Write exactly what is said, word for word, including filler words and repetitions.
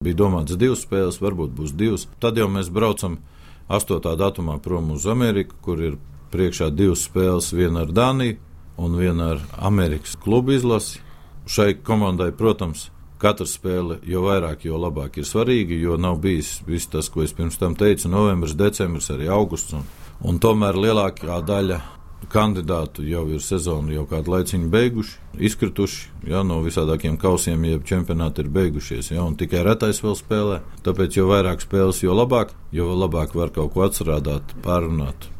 Bija domāts divas spēles, varbūt būs divas. Tad jau mēs braucam astotā datumā prom uz Ameriku, kur ir priekšā divas spēles, viena ar Dāniju un viena ar Amerikas klubu izlasi. Šai komandai, protams, katra spēle, jo vairāk, jo labāk ir svarīga, jo nav bijis viss tas, ko es pirms tam teicu, novembris, decembris, arī augusts. Un, un tomēr lielākā daļa kandidātu jau ir sezonu jau kādu laiciņu beiguši, izkrituši, ja, no visādākiem kausiem, jeb čempionāti ir beigušies, ja, un tikai retais vēl spēlē. Tāpēc, jo vairāk spēles, jo labāk, jo labāk var kaut ko atstrādāt, pārunāt.